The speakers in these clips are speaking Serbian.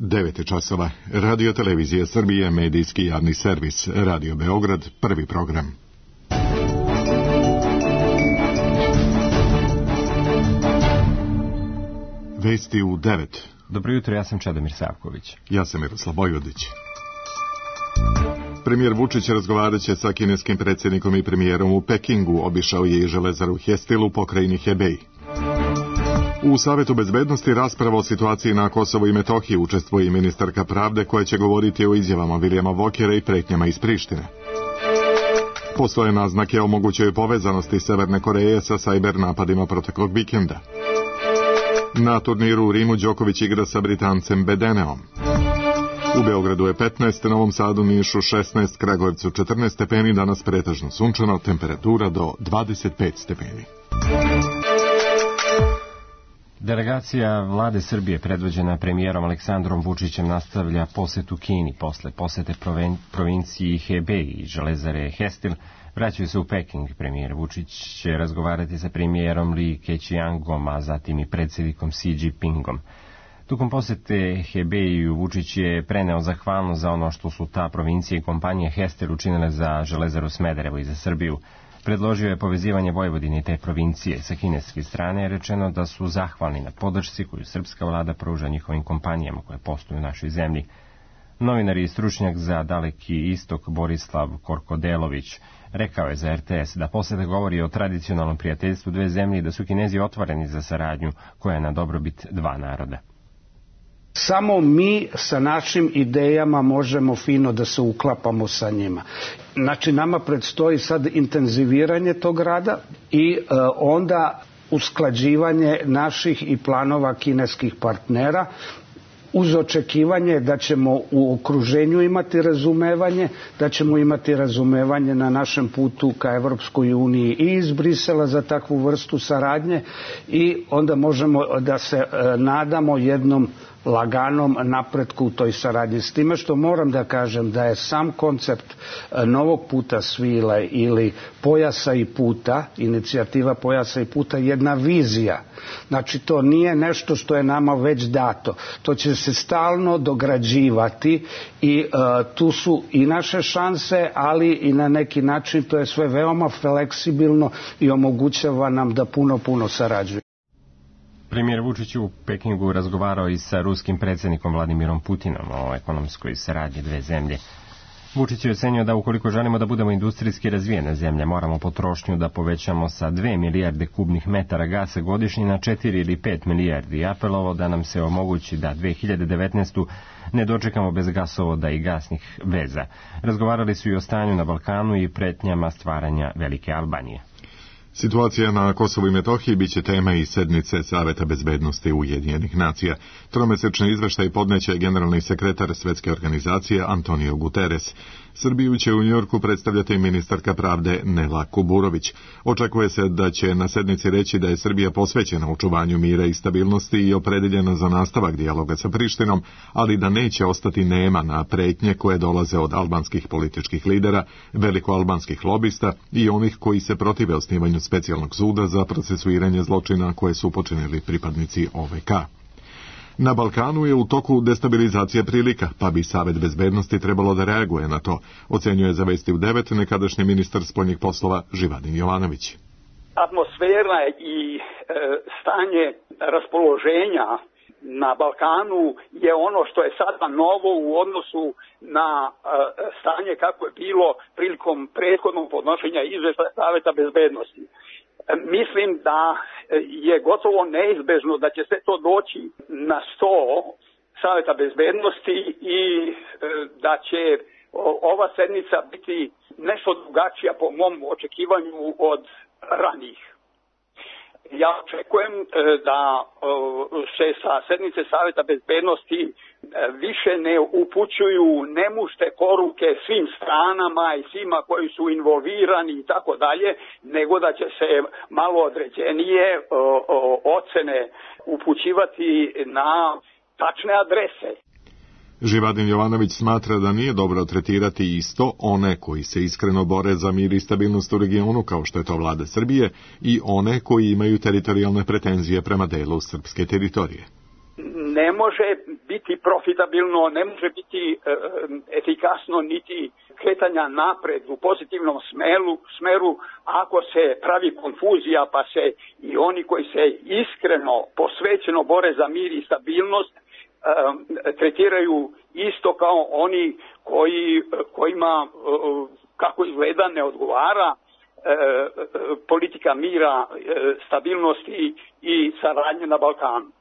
9 časova. Radio Televizija Srbije, medijski javni servis. Radio Beograd, prvi program. Vesti u 9. Dobro jutro, ja sam Čedomir Savković. Ja sam Miroslav Vojvodić. Premijer Vučić razgovarat će sa kineskim predsjednikom i premijerom u Pekingu. Obišao je i železaru Hestil u pokrajini Hebej. U Savetu bezbednosti rasprava o situaciji na Kosovu i Metohiji učestvuje i ministarka pravde koja će govoriti o izjavama Vilijama Vokera i pretnjama iz Prištine. Postoje naznake o mogućoj povezanosti Severne Koreje sa sajber napadima proteklog vikenda. Na turniru u Rimu Đoković igra sa Britancem Bedeneom. U Beogradu je 15, Novom Sadu, Nišu 16, Kragujevcu 14 stepeni, danas pretežno sunčano, temperatura do 25 stepeni. Delegacija vlade Srbije predvođena premijerom Aleksandrom Vučićem nastavlja posetu Kini. Posle posete provinciji Hebej i železare Hestil vraćaju se u Peking. Premijer Vučić će razgovarati sa premijerom Li Keqiangom, a zatim i predsjednikom Xi Jinpingom. Tokom posete Hebeju Vučić je preneo zahvalnost za ono što su ta provincija i kompanija Hestil učinile za železaru Smederevo i za Srbiju. Predložio je povezivanje Vojvodine i te provincije. Sa kineske strane je rečeno da su zahvalni na podršci koju srpska vlada pruža njihovim kompanijama koje posluju u našoj zemlji. Novinar i stručnjak za Daleki istok Borislav Korkodelović rekao je za RTS da poseta govori o tradicionalnom prijateljstvu dve zemlje i da su Kinezi otvoreni za saradnju koja je na dobrobit dva naroda. Samo mi sa našim idejama možemo fino da se uklapamo sa njima. Znači, nama predstoji sad intenziviranje tog rada i onda usklađivanje naših i planova kineskih partnera uz očekivanje da ćemo u okruženju imati razumevanje, da ćemo imati razumevanje na našem putu ka Evropskoj uniji i iz Brisela za takvu vrstu saradnje i onda možemo da se nadamo jednom laganom napretku u toj saradnji. S time što moram da kažem da je sam koncept novog puta svile ili pojasa i puta, inicijativa pojasa i puta, jedna vizija. Znači, to nije nešto što je nama već dato. To će se stalno dograđivati i tu su i naše šanse, ali i na neki način to je sve veoma fleksibilno i omogućava nam da puno sarađujemo. Premijer Vučić u Pekingu razgovarao i sa ruskim predsjednikom Vladimirom Putinom o ekonomskoj saradnji dve zemlje. Vučić je ocenio da ukoliko želimo da budemo industrijski razvijena zemlja, moramo potrošnju da povećamo sa 2 milijarde kubnih metara gasa godišnje na 4 ili 5 milijardi i apelovao da nam se omogući da 2019. ne dočekamo bez gasovoda i gasnih veza. Razgovarali su i o stanju na Balkanu i pretnjama stvaranja Velike Albanije. Situacija na Kosovu i Metohiji biće tema i sednice Saveta bezbednosti Ujedinjenih nacija. Tromesečni izveštaj podneće generalni sekretar Svetske organizacije Antonio Guterres. Srbiju će u Njujorku predstavljati ministarka pravde Nela Kuburović. Očekuje se da će na sednici reći da je Srbija posvećena očuvanju mira i stabilnosti i opredeljena za nastavak dijaloga sa Prištinom, ali da neće ostati nema na pretnje koje dolaze od albanskih političkih lidera, velikoalbanskih lobista i onih koji se protive osnivanju specijalnog suda za procesuiranje zločina koje su počinili pripadnici OVK. Na Balkanu je u toku destabilizacija prilika, pa bi Savet bezbednosti trebalo da reaguje na to, ocenjuje za Vesti u 9 nekadašnji ministar spoljnih poslova Živadin Jovanović. Atmosfera i stanje raspoloženja na Balkanu je ono što je sada novo u odnosu na stanje kako je bilo prilikom prethodnog podnošenja izveštaja Saveta bezbednosti. Mislim da je gotovo neizbežno da će sve to doći na sto Saveta bezbednosti i da će ova sednica biti nešto drugačija po mom očekivanju od ranijih. Ja očekujem da se sa sednice Saveta bezbednosti više ne upućuju nemušte poruke svim stranama i svima koji su involvirani i tako dalje, nego da će se malo određenije ocene upućivati na tačne adrese. Živadin Jovanović smatra da nije dobro tretirati isto one koji se iskreno bore za mir i stabilnost u regionu, kao što je to vlada Srbije, i one koji imaju teritorijalne pretenzije prema delu srpske teritorije. ne može biti profitabilno, ne može biti efikasno niti kretanja napred u pozitivnom smeru ako se pravi konfuzija pa se i oni koji se iskreno, posvećeno bore za mir i stabilnost tretiraju isto kao oni kojima, kako izgleda, ne odgovara politika mira, stabilnosti i saradnje na Balkanu.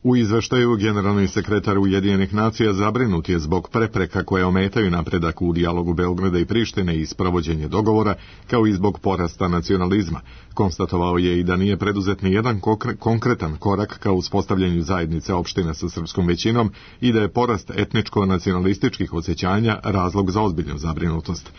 U izveštaju generalni sekretar Ujedinjenih nacija zabrinut je zbog prepreka koje ometaju napredak u dijalogu Beograda i Prištine i sprovođenje dogovora, kao i zbog porasta nacionalizma. Konstatovao je i da nije preduzet ni jedan konkretan korak ka uspostavljanju zajednice opština sa srpskom većinom i da je porast etničko-nacionalističkih osjećanja razlog za ozbiljnu zabrinutost.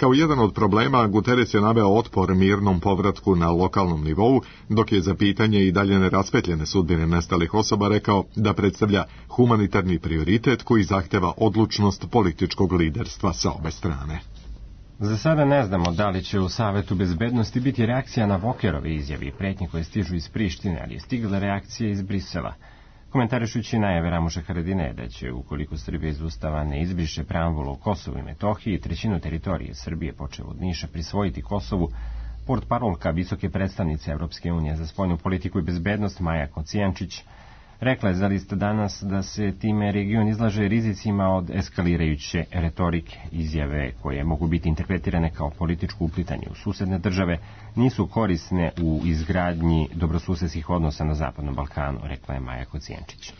Kao jedan od problema, Guterres je naveo otpor mirnom povratku na lokalnom nivou, dok je za pitanje i dalje neraspetljene sudbine nestalih osoba rekao da predstavlja humanitarni prioritet koji zahteva odlučnost političkog liderstva sa obe strane. Za sada ne znamo da li će u Savetu bezbednosti biti reakcija na Vokerove izjave i pretnje koje stižu iz Prištine, ali je stigla reakcija iz Brisela. Komentarišući najave Ramuša Haradinaja da će, ukoliko Srbija iz Ustava ne izbriše preambulu o Kosovu i Metohiji, trećinu teritorije Srbije, počev od Niša, prisvojiti Kosovu, portparolka visoke predstavnice Evropske unije za spoljnu politiku i bezbednost Maja Kocijančić rekla je za List danas da se time region izlaže rizicima od eskalirajuće retorike. Izjave koje mogu biti interpretirane kao političko uplitanje u susedne države nisu korisne u izgradnji dobrosusedskih odnosa na Zapadnom Balkanu, rekla je Maja Kocijančić.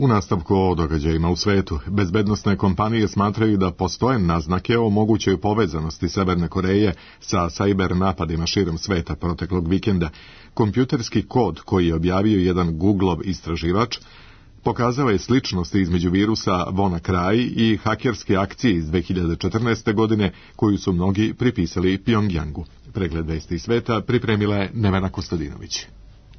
U nastavku o događajima u svetu, bezbednosne kompanije smatraju da postoje naznake o mogućoj povezanosti Severne Koreje sa sajber napadima širom sveta proteklog vikenda. Kompjuterski kod koji je objavio jedan Googleov istraživač pokazao je sličnosti između virusa WannaCry i hakerske akcije iz 2014. godine koju su mnogi pripisali Pjongjangu. Pregled vesti sveta pripremila je Nevena Kostadinović.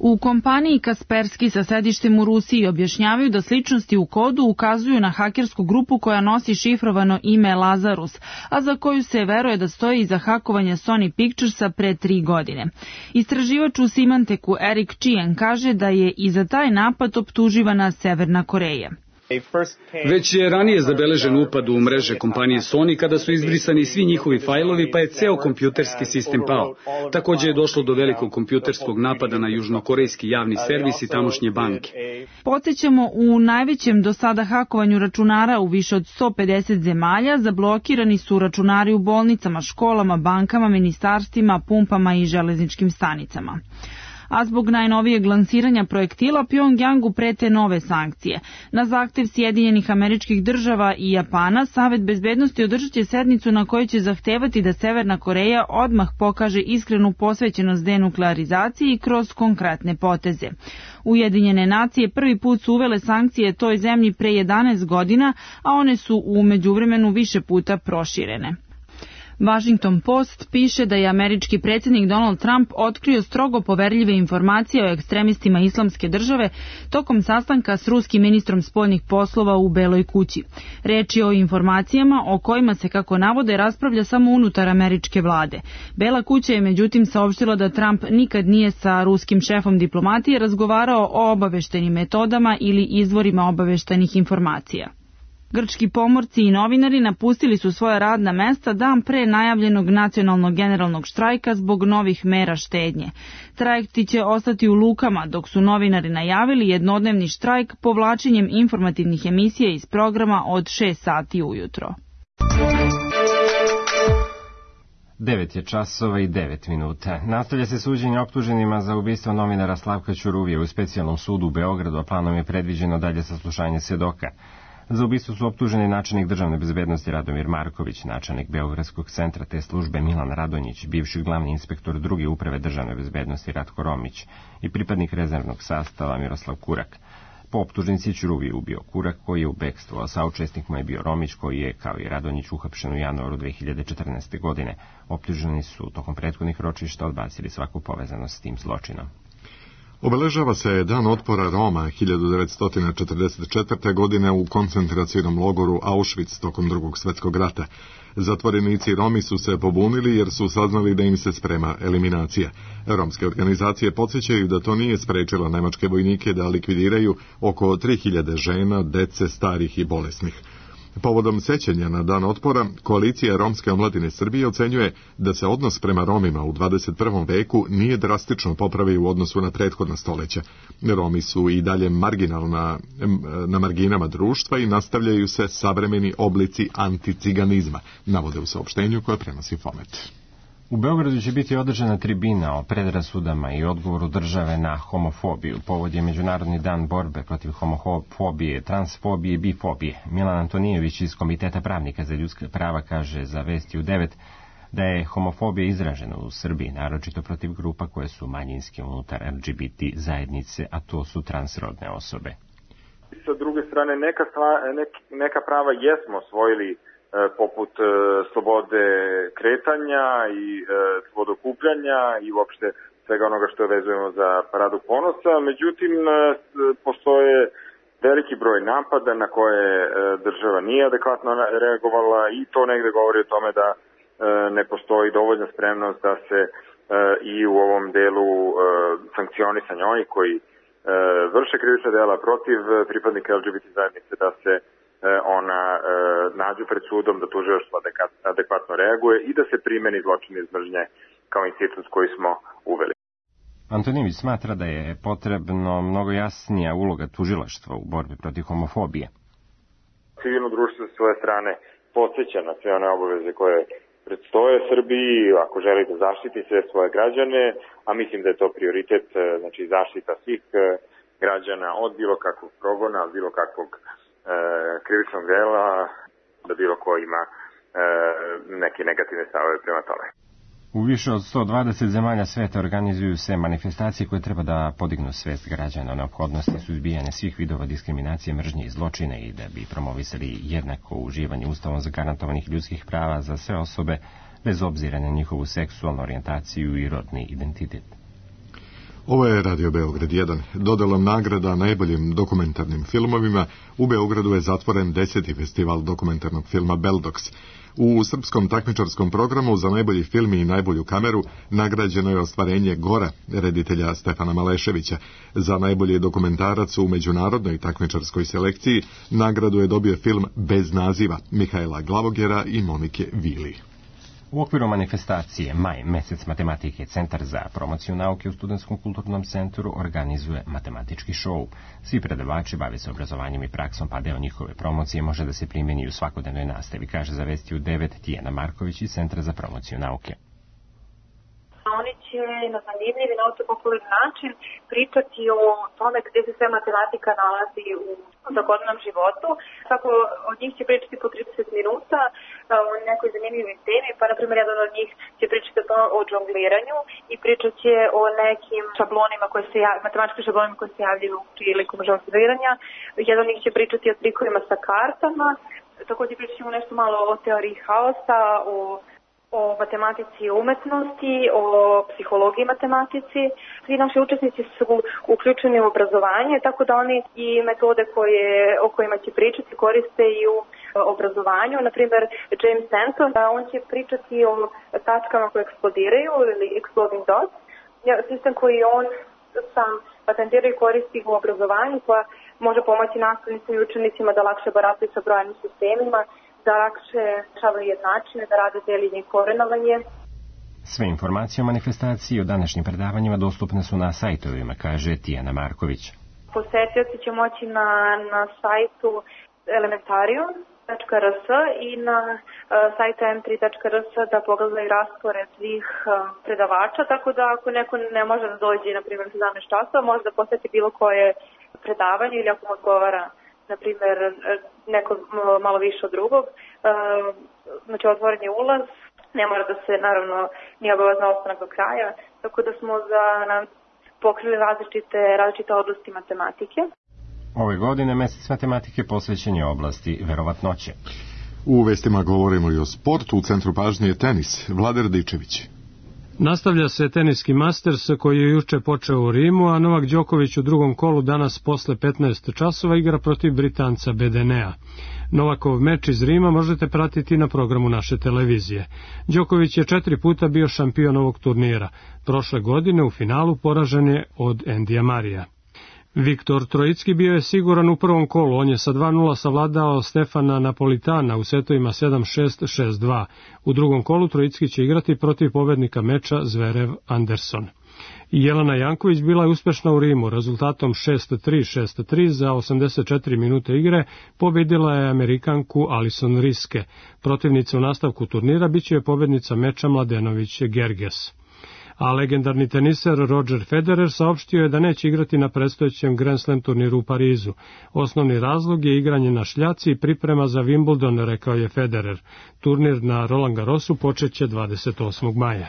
U kompaniji Kaspersky sa sedištem u Rusiji objašnjavaju da sličnosti u kodu ukazuju na hakersku grupu koja nosi šifrovano ime Lazarus, a za koju se veruje da stoji iza hakovanja Sony Picturesa pre 3 godine. Istraživač u Symantecku Eric Chien kaže da je i za taj napad optuživana Severna Koreja. Već je ranije zabeležen upad u mreže kompanije Sony kada su izbrisani svi njihovi fajlovi, pa je ceo kompjuterski sistem pao. Također je došlo do velikog kompjuterskog napada na južnokorejski javni servis i tamošnje banke. Podsjećamo, u najvećem do sada hakovanju računara u više od 150 zemalja zablokirani su računari u bolnicama, školama, bankama, ministarstvima, pumpama i železničkim stanicama. A zbog najnovijeg lansiranja projektila Pjongjangu prete nove sankcije. Na zahtev Sjedinjenih Američkih Država i Japana, Savet bezbednosti održat će sednicu na kojoj će zahtevati da Severna Koreja odmah pokaže iskrenu posvećenost denuklearizaciji kroz konkretne poteze. Ujedinjene nacije prvi put su uvele sankcije toj zemlji pre 11 godina, a one su u međuvremenu više puta proširene. Washington Post piše da je američki predsjednik Donald Trump otkrio strogo poverljive informacije o ekstremistima Islamske države tokom sastanka s ruskim ministrom spoljnih poslova u Beloj kući. Reč je o informacijama o kojima se, kako navode, raspravlja samo unutar američke vlade. Bela kuća je međutim saopštila da Trump nikad nije sa ruskim šefom diplomatije razgovarao o obaveštajnim metodama ili izvorima obaveštajnih informacija. Grčki pomorci i novinari napustili su svoja radna mesta dan pre najavljenog nacionalnog generalnog štrajka zbog novih mera štednje. Trajekti će ostati u lukama, dok su novinari najavili jednodnevni štrajk povlačenjem informativnih emisija iz programa od 6 sati ujutro. 9 je časova i 9 minuta. Nastavlja se suđenje optuženima za ubistvo novinara Slavka Ćuruvije u specijalnom sudu u Beogradu, a planom je predviđeno dalje saslušanje svedoka. Za ubistvo su optuženi načelnik državne bezbednosti Radomir Marković, načelnik Beogradskog centra te službe Milan Radonjić, bivši glavni inspektor druge uprave državne bezbednosti Ratko Romić i pripadnik rezervnog sastava Miroslav Kurak. Po optužnici Ćuruvije ubio Kurak, koji je u bekstvu, a saučesnik mu je bio Romić, koji je, kao i Radonjić, uhapšen u januaru 2014. godine. Optuženi su tokom prethodnih ročišta odbacili svaku povezanost s tim zločinom. Obeležava se Dan otpora Roma 1944. godine u koncentracionom logoru Auschwitz tokom Drugog svjetskog rata. Zatvorenici Romi su se pobunili jer su saznali da im se sprema eliminacija. Romske organizacije podsjećaju da to nije sprečilo nemačke vojnike da likvidiraju oko 3000 žena, dece, starih i bolesnih. Povodom sećanja na Dan otpora, koalicija Romske omladine Srbije ocenjuje da se odnos prema Romima u 21. veku nije drastično popravio u odnosu na prethodna stoljeća. Romi su i dalje na marginama društva i nastavljaju se savremeni oblici anticiganizma, navode u saopštenju koje prenosi Fomet. U Beogradu će biti održana tribina o predrasudama i odgovoru države na homofobiju. Povod je Međunarodni dan borbe protiv homofobije, transfobije i bifobije. Milan Antonijević iz Komiteta pravnika za ljudska prava kaže za Vesti u 9 da je homofobija izražena u Srbiji, naročito protiv grupa koje su manjinske unutar LGBT zajednice, a to su transrodne osobe. Sa druge strane, neka prava jesmo osvojili, poput slobode kretanja i slobode okupljanja i uopšte svega onoga što vezujemo za Paradu ponosa. Međutim, postoje veliki broj napada na koje država nije adekvatno reagovala i to negde govori o tome da ne postoji dovoljna spremnost da se i u ovom delu sankcionisanja onih koji vrše krivična dela protiv pripadnika LGBT zajednice, da se ona nađu pred sudom, da tužilaštvo adekvatno reaguje i da se primeni zločin iz mržnje kao institut koji smo uveli. Antonijević smatra da je potrebno mnogo jasnija uloga tužilaštva u borbi protiv homofobije. Civilno društvo sa svoje strane podsjeća na sve one obaveze koje predstoje Srbiji, ako želi da zaštiti sve svoje građane, a mislim da je to prioritet, znači zaštita svih građana od bilo kakvog progona, od bilo kakvog krivičnog dela, da bilo ko ima neke negativne stavove prema tome. U više od 120 zemalja sveta organizuju se manifestacije koje treba da podignu svest građana o neophodnosti suzbijanja svih vidova diskriminacije, mržnje i zločina i da bi promovisali jednako uživanje ustavom zagarantovanih ljudskih prava za sve osobe bez obzira na njihovu seksualnu orijentaciju i rodni identitet. Ovo je Radio Beograd 1. Dodelom nagrada najboljim dokumentarnim filmovima u Beogradu je zatvoren 10. festival dokumentarnog filma Beldox. U srpskom takmičarskom programu za najbolji film i najbolju kameru nagrađeno je ostvarenje Gora, reditelja Stefana Maleševića. Za najbolji dokumentarac u međunarodnoj takmičarskoj selekciji nagradu je dobio film Bez naziva Mihaela Glavogera i Monike Vili. U okviru manifestacije Maj, mesec matematike, Centar za promociju nauke u Studentskom kulturnom centru organizuje matematički šou. Svi predavači bave se obrazovanjem i praksom, pa deo njihove promocije može da se primjeni u svakodnevnoj nastavi, kaže za Vesti u 9 Tijana Marković iz Centra za promociju nauke. Oni će na zanimljiv i naučno-popularni način pričati o tome gdje se sve matematika nalazi u svakodnevnom životu. Tako od njih će pričati po 30 minuta o nekoj zanimljivoj temi, pa na primjer jedan od njih će pričati o džongliranju i pričat će o nekim šablonima matematičkim šablonima koji se javljaju prilikom džongliranja. Jedan od njih će pričati o trikovima sa kartama, također pričat ćemo nešto malo o teoriji haosa, o matematici i umetnosti, o psihologiji matematici. Svi naši učesnici su uključeni u obrazovanje, tako da oni i metode o kojima će pričati koriste i u obrazovanju. Naprimjer, James Stanton, on će pričati o tačkama koje eksplodiraju ili exploding dots. Sistem koji on sam patentira i koristi u obrazovanju, koja može pomoći nastavnicima i učenicima da lakše barataju sa brojnim sistemima, da lakše rešavaju jednačine, da rade deljenje i korenovanje. Sve informacije o manifestaciji i o današnjim predavanjima dostupne su na sajtovima, kaže Tijana Marković. Posetioci će moći na sajtu elementarium.rs i na sajtu m3.rs da pogledaju raspored svih predavača, tako da ako neko ne može da dođe, na primjer, 17 časova, može da poseti bilo koje predavanje ili ako mu odgovara, na primjer, neko malo više od drugog, znači otvoren je ulaz, ne mora da se, naravno, nije obavezno ostanak do kraja, tako da smo pokrili različite oblasti matematike. Ove godine mesec matematike posvećen je oblasti verovatnoće. U vestima govorimo i o sportu. U centru pažnje je tenis. Vlada Radičević. Nastavlja se teniski Masters koji je juče počeo u Rimu, a Novak Đoković u drugom kolu danas posle 15 časova igra protiv Britanca Bedenea. Novakov meč iz Rima možete pratiti na programu naše televizije. Đoković je 4 puta bio šampion ovog turnira. Prošle godine u finalu poražen je od Endija Marija. Viktor Trojicki bio je siguran u prvom kolu, on je sa 2:0 savladao Stefana Napolitana u setovima 7-6, 6-2. U drugom kolu Trojicki će igrati protiv pobednika meča Zverev Anderson. Jelena Janković bila je uspešna u Rimu, rezultatom 6-3, 6-3 za 84 minute igre pobedila je Amerikanku Alison Riske. Protivnica u nastavku turnira biće je pobednica meča Mladenović-Gerges. A legendarni teniser Roger Federer saopštio je da neće igrati na predstojećem Grand Slam turniru u Parizu. Osnovni razlog je igranje na šljaci i priprema za Wimbledon, rekao je Federer. Turnir na Roland Garrosu počeće 28. maja.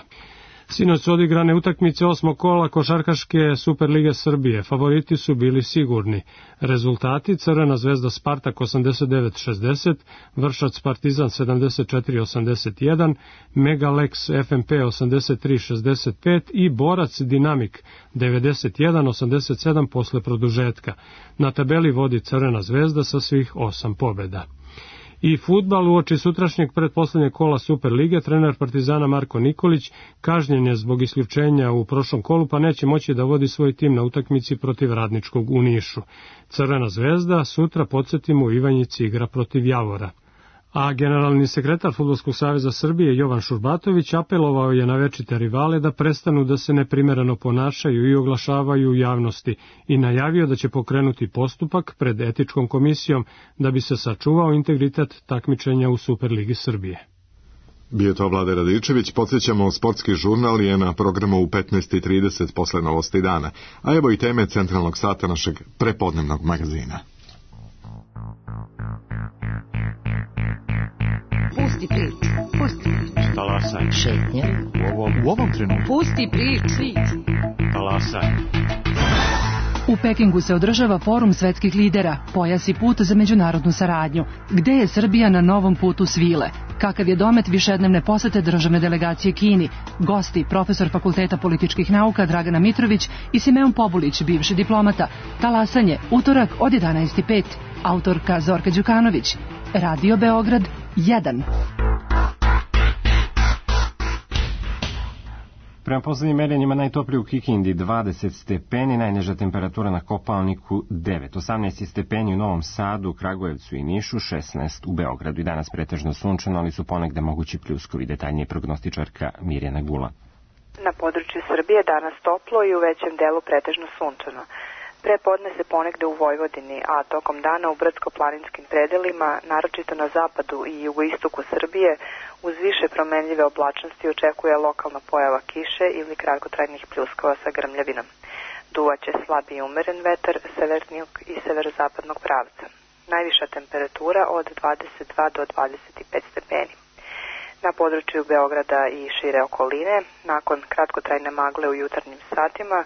Sinoć su odigrane utakmice 8. kola košarkaške Superlige Srbije. Favoriti su bili sigurni. Rezultati: Crvena zvezda Spartak 89-60, Vršac Partizan 74-81, Megalex FMP 83-65 i Borac Dinamik 91-87 posle produžetka. Na tabeli vodi Crvena zvezda sa svih 8 pobeda. I fudbal uoči sutrašnjeg pretposlednjeg kola Superlige, trener Partizana Marko Nikolić kažnjen je zbog isključenja u prošlom kolu, pa neće moći da vodi svoj tim na utakmici protiv Radničkog u Nišu. Crvena zvezda sutra, podsjetimo, u Ivanjici igra protiv Javora. A generalni sekretar Fudbalskog saveza Srbije Jovan Šurbatović apelovao je na večite rivale da prestanu da se neprimereno ponašaju i oglašavaju u javnosti i najavio da će pokrenuti postupak pred etičkom komisijom da bi se sačuvao integritet takmičenja u Superligi Srbije. Bio to Vlade Radičević, podsjećamo, sportski žurnal je na programu u 15:30 posle novosti dana, a evo i teme centralnog sata našeg prepodnevnog magazina. Pusti priču, pusti priču. Talasaj. Šetnje. U ovom trenutku. Pusti priču. Talasaj. U Pekingu se održava forum svetskih lidera, pojas i put za međunarodnu saradnju. Gde je Srbija na novom putu svile? Kakav je domet višednevne posete državne delegacije Kini? Gosti, profesor Fakulteta političkih nauka Dragana Mitrović i Simeon Pobulić, bivši diplomata. Talasanje, utorak od 11:05. Autorka Zorka Đukanović. Radio Beograd 1. Prema poslednjim merenjima najtoplije u Kikindi 20 stepeni, najniža temperatura na Kopaoniku 9, 18 stepeni u Novom Sadu, Kragujevcu i Nišu, 16 u Beogradu. I danas pretežno sunčano, ali su ponegde mogući pljuskovi. Detaljnije prognostičarka Mirjana Gula. Na području Srbije danas toplo i u većem delu pretežno sunčano. Prepodne se ponegde u Vojvodini, a tokom dana u brdsko-planinskim predelima, naročito na zapadu i jugoistoku Srbije, uz više promenljive oblačnosti očekuje lokalna pojava kiše ili kratkotrajnih pljuskova sa grmljavinom. Duvaće slab i umeren vetar severnijeg i severozapadnog pravca. Najviša temperatura od 22 do 25 stepeni. Na području Beograda i šire okoline, nakon kratkotrajne magle u jutarnjim satima,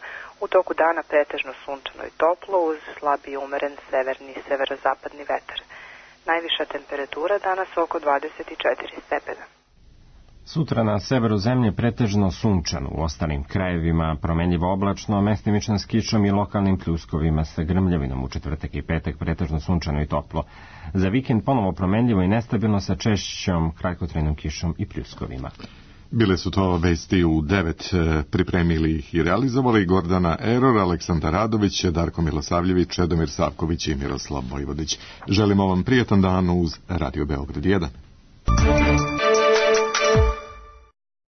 u toku dana pretežno sunčano i toplo uz slab i umeren severni i severozapadni vetar. Najviša temperatura danas oko 24 stepena. Sutra na severu zemlje pretežno sunčano, u ostalim krajevima promenljivo oblačno, mestimično s kišom i lokalnim pljuskovima sa grmljavinom. U četvrtak i petak pretežno sunčano i toplo. Za vikend ponovo promenljivo i nestabilno sa češćom kratkotrajnom kišom i pljuskovima. Bile su to vesti u 9, pripremili ih i realizovali Gordana Eror, Aleksandar Radović, Darko Milosavljević, Čedomir Savković i Miroslav Vojvodić. Želimo vam prijetan dan uz Radio Beograd 1.